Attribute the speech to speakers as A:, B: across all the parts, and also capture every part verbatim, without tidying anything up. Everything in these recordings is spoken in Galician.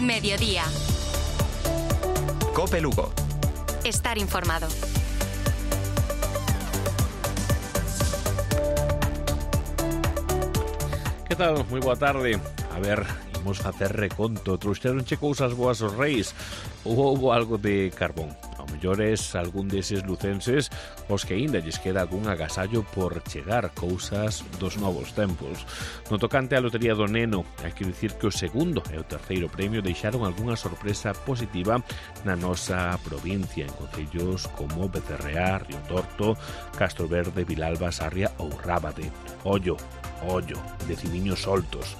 A: Mediodía.
B: Cope Lugo.
A: Estar informado.
C: Que tal? Moi boa tarde. A ver, imos facer reconto. Trouxeronche cousas boas os reis ou houbo algo de carbón? Ao mellores algún deses lucenses os que aínda lles queda algún agasallo por chegar, cousas dos novos tempos. No tocante á lotería do Neno, hai que dicir que o segundo e o terceiro premio deixaron algunha sorpresa positiva na nosa provincia, en concellos como Becerreá, Río Torto, Castro Verde, Vilalba, Sarria ou Rábade. Ollo, ollo, decidiños soltos.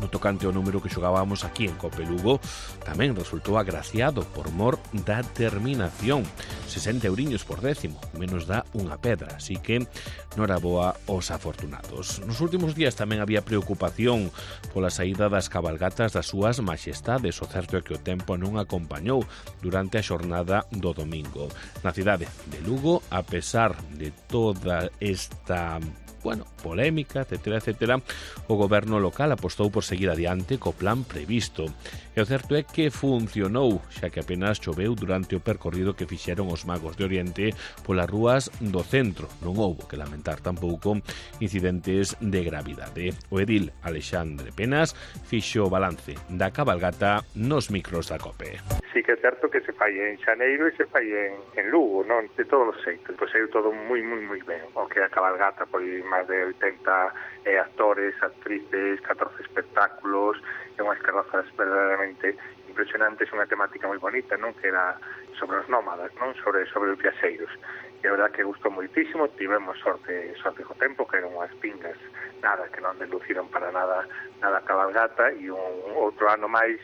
C: No tocante ao número que xogábamos aquí en Cope Lugo, tamén resultou agraciado por mor da terminación. sesenta euriños por décimo, menos dá unha pedra, así que noraboa aos afortunados. Nos últimos días tamén había preocupación pola saída das cabalgatas das súas majestades. O certo é que o tempo non acompañou durante a xornada do domingo. Na cidade de Lugo, a pesar de toda esta bueno, polémica, etcétera, etcétera, o goberno local apostou por seguir adiante co plan previsto. E o certo é que funcionou, xa que apenas choveu durante o percorrido que fixeron os magos de Oriente polas rúas do centro. Non houbo que lamentar tampouco incidentes de gravidade. O edil Alexandre Penas fixo o balance da cabalgata nos micros da COPE.
D: Sí que é certo que se fai en Xaneiro e se fai en, en Lugo, non? De todos os xeitos. Pois saiu todo moi, moi, moi ben. O que a cabalgata, pois máis de oitenta eh, actores, actrices, catorce espectáculos, e unhas carrozas verdadeiramente impresionantes, unha temática moi bonita, non? Que era sobre os nómadas, non? Sobre, sobre os viaxeiros. E a verdad que gustou moitísimo, tivemos sorte, sorte co tempo, que eran unhas pingas, nada, que non deluciron para nada, nada a cabalgata, e un outro ano máis,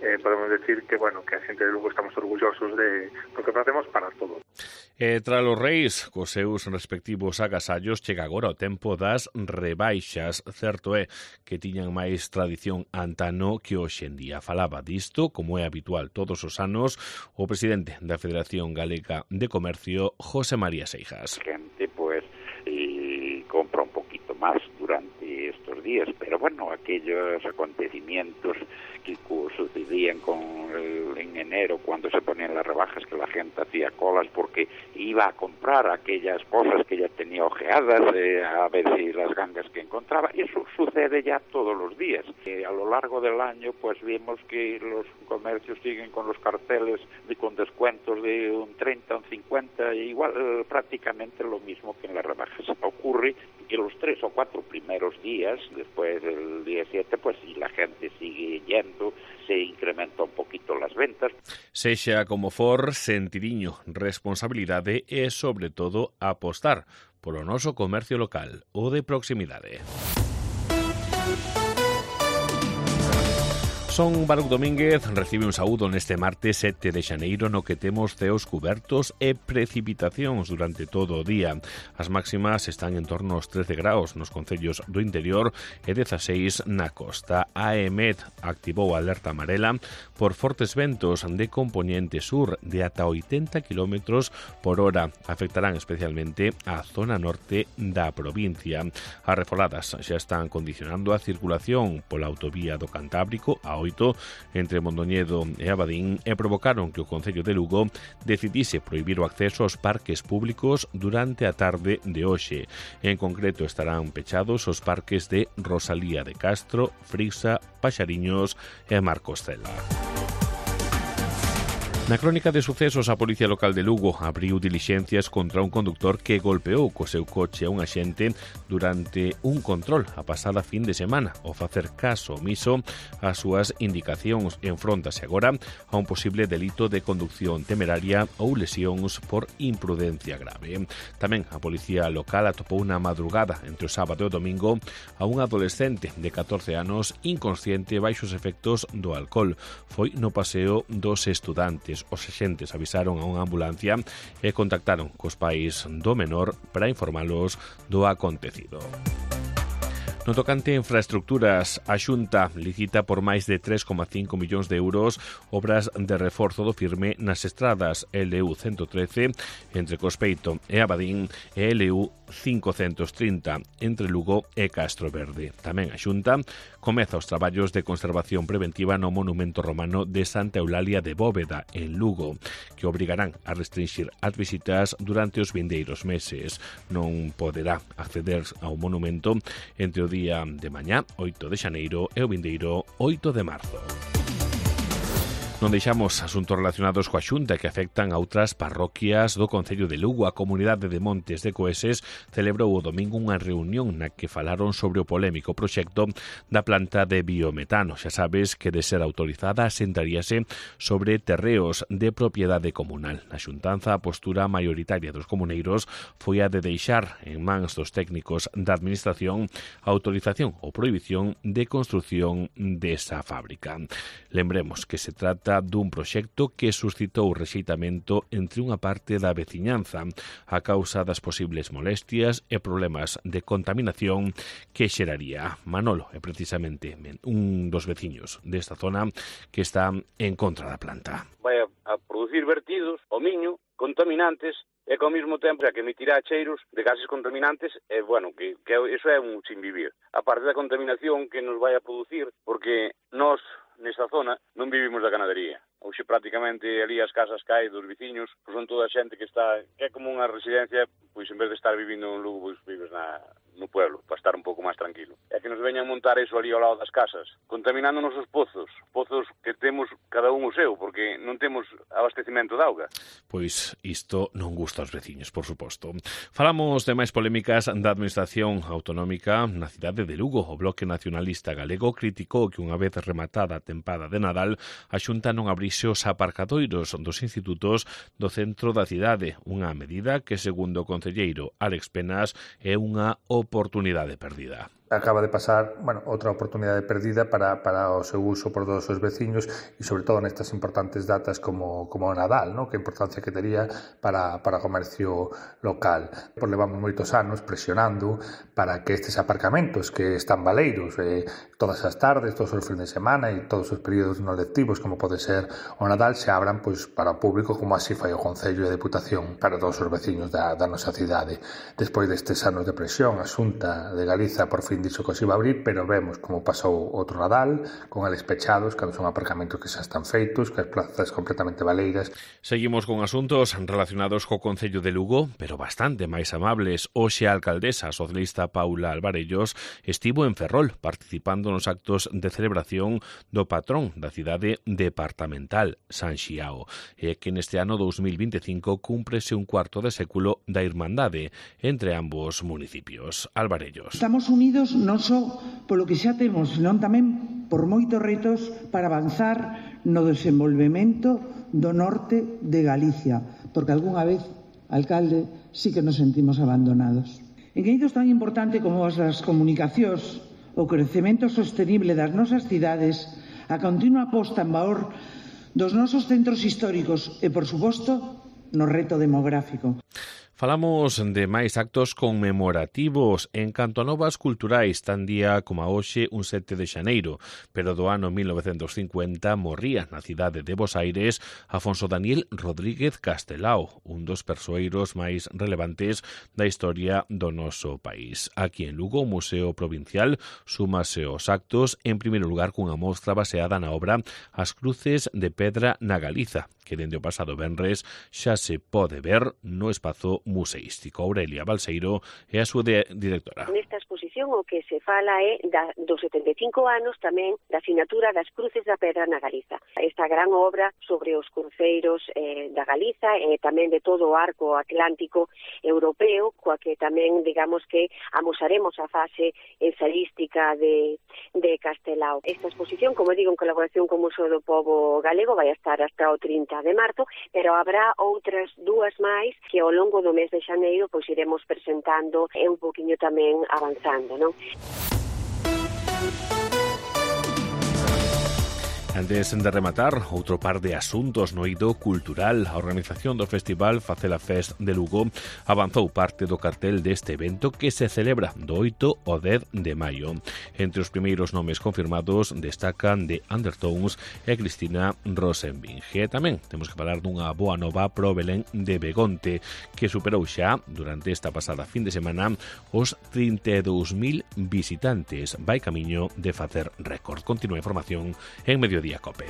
D: Eh, podemos decir que, bueno, que a xente de Lugo estamos orgullosos de lo que facemos para todo.
C: E tra os reis, cos seus respectivos agasallos, chega agora o tempo das rebaixas. Certo é que tiñan máis tradición antano que hoxe en día. Falaba disto, como é habitual todos os anos, o presidente da Federación Galega de Comercio, José María Seijas.
E: Gente, pues, eh, compra un poquito más durante estos días, pero bueno, aquellos acontecimientos que sucedían con el, en enero cuando se ponían las rebajas, que la gente hacía colas porque iba a comprar aquellas cosas que ya tenía ojeadas, eh, a ver si las gangas que encontraba. Eso sucede ya todos los días. Eh, a lo largo del año pues vimos que los comercios siguen con los carteles de, con descuentos de un treinta, un cincuenta, igual eh, prácticamente lo mismo que en las rebajas. Ocurre que los tres o cuatro primeros días, después del día siete, pues si la gente sigue yendo, se incrementa un poquito las ventas.
C: Sexa como for, sentidiño, responsabilidade e, sobre todo, apostar polo noso comercio local, o de proximidade. Son Baruch Domínguez, recibe un saúdo neste martes sete de xaneiro no que temos ceos cubertos e precipitacións durante todo o día. As máximas están en torno aos trece graus nos concellos do interior e dezaseis na costa. A EMET activou a alerta amarela por fortes ventos de componente sur de ata oitenta kilómetros por hora. Afectarán especialmente a zona norte da provincia. As refoladas xa están condicionando a circulación pola autovía do Cantábrico a entre Mondoñedo e Abadín e provocaron que o Concello de Lugo decidise prohibir o acceso aos parques públicos durante a tarde de hoxe. En concreto estarán pechados os parques de Rosalía de Castro, Frisa, Paxariños e Marcostela. Na crónica de sucesos, a Policía Local de Lugo abriu dilixencias contra un conductor que golpeou co seu coche a un axente durante un control a pasada fin de semana. Ao facer caso omiso ás súas indicacións, enfróntase agora a un posible delito de conducción temeraria ou lesións por imprudencia grave. Tamén a Policía Local atopou na madrugada entre o sábado e o domingo a un adolescente de catorce anos inconsciente baixo os efectos do alcohol. Foi no paseo dos estudantes. Os axentes avisaron a unha ambulancia e contactaron cos pais do menor para informalos do acontecido. No tocante a infraestructuras, a Xunta licita por máis de tres coma cinco millóns de euros obras de reforzo do firme nas estradas L U ciento trece entre Cospeito e Abadín e L U cincocentos trinta entre Lugo e Castro Verde. Tamén a Xunta comeza os traballos de conservación preventiva no monumento romano de Santa Eulalia de Bóveda, en Lugo, que obrigarán a restringir as visitas durante os vindeiros meses. Non poderá acceder ao monumento entre o día de mañá, oito de xaneiro, e o vindeiro oito de marzo. Non deixamos asuntos relacionados coa Xunta que afectan a outras parroquias do Concello de Lugo. A comunidade de Montes de Coeses celebrou o domingo unha reunión na que falaron sobre o polémico proxecto da planta de biometano. Xa sabes que de ser autorizada asentaríase sobre terreos de propiedade comunal. Na xuntanza, a postura maioritaria dos comuneiros foi a de deixar en mans dos técnicos da administración a autorización ou prohibición de construción desa fábrica. Lembremos que se trata dun proxecto que suscitou rexeitamento entre unha parte da veciñanza a causa das posibles molestias e problemas de contaminación que xeraría. Manolo é precisamente un dos veciños desta zona que está en contra da planta.
B: Vai a producir vertidos ao miño contaminantes e que ao mesmo tempo xa que emitirá cheiros de gases contaminantes e, bueno, que, que eso é un sin vivir. A parte da contaminación que nos vai a producir, porque nós nesta zona non vivimos da ganadería. Hoxe prácticamente ali as casas que hai dos veciños pois son toda a xente que está, que é como unha residencia, pois en vez de estar vivindo en Lugo, pois vives na, no pueblo, para estar un pouco máis tranquilo. É que nos veñan montar eso ali ao lado das casas, contaminando nosos pozos, pozos que temos cada un o seu, porque non temos abastecimento de auga.
C: Pois isto non gusta aos veciños, por suposto. Falamos de máis polémicas da Administración Autonómica na cidade de Lugo. O Bloque Nacionalista Galego criticou que unha vez rematada a tempada de Nadal, a Xunta non abrise os aparcadoiros dos institutos do centro da cidade, unha medida que, segundo o concelleiro Álex Penas, é unha oportunidade perdida.
F: Acaba de pasar, bueno, outra oportunidade perdida para, para o seu uso por todos os veciños e sobre todo nestas importantes datas como, como o Nadal, ¿no? Que importancia que tería para, para o comercio local. Por levamos moitos anos presionando para que estes aparcamentos que están baleiros eh, todas as tardes, todos os fins de semana e todos os períodos non lectivos como pode ser o Nadal se abran pois, para o público como así fai o Concello e a Deputación para todos os veciños da, da nosa cidade. Despois destes anos de presión, a Xunta de Galiza por fin dixo que se iba a abrir, pero vemos como pasou outro Nadal, con eles pechados, cando son aparcamentos que xa están feitos, que as plazas completamente baleiras.
C: Seguimos con asuntos relacionados co Concello de Lugo, pero bastante máis amables. Hoxe a alcaldesa socialista Paula Alvarellos estivo en Ferrol, participando nos actos de celebración do patrón da cidade departamental, San Xiao, e que neste ano dous mil vinte e cinco cúmprese un cuarto de século da irmandade entre ambos municipios. Alvarellos.
G: Estamos unidos non só polo que xa temos, senón tamén por moitos retos para avanzar no desenvolvemento do norte de Galicia, porque algunha vez, alcalde, sí que nos sentimos abandonados. En eidos tan importante como as comunicacións, o crecemento sostenible das nosas cidades, a continua posta en valor dos nosos centros históricos e, por suposto, no reto demográfico.
C: Falamos de máis actos conmemorativos en canto a novas culturais, tan día como a hoxe un sete de xaneiro, pero do ano mil novecentos cincuenta morría na cidade de Bos Aires Afonso Daniel Rodríguez Castelao, un dos persoeiros máis relevantes da historia do noso país. Aquí en Lugo, o Museo Provincial súmase aos actos, en primeiro lugar cunha mostra baseada na obra As Cruces de Pedra na Galiza, que dende o pasado venres xa se pode ver no espazo museístico. Aurelia Balseiro é a súa directora.
H: Nesta exposición o que se fala é da, dos setenta e cinco anos tamén da asignatura das Cruces da Pedra na Galiza. Esta gran obra sobre os cruceiros eh, da Galiza e tamén de todo o arco atlántico europeo, coa que tamén, digamos que, amosaremos a fase ensaística de, de Castelao. Esta exposición, como digo, en colaboración co Museo do Pobo Galego, vai a estar hasta o trinta de marzo, pero habrá outras dúas máis que ao longo do mes de xaneiro pois iremos presentando e un poquinho tamén avanzando, non?
C: antes de rematar, outro par de asuntos no eido cultural. A organización do festival Facela Fest de Lugo avanzou parte do cartel deste evento que se celebra do oito ao dez de maio. Entre os primeiros nomes confirmados destacan The Undertones e Cristina Rosenvinge. Tamén temos que falar dunha boa nova pro Belén de Begonte, que superou xa, durante esta pasada fin de semana, os trinta e dous mil visitantes. Vai camiño de facer récord. Continúa a información en Mediodía Cope.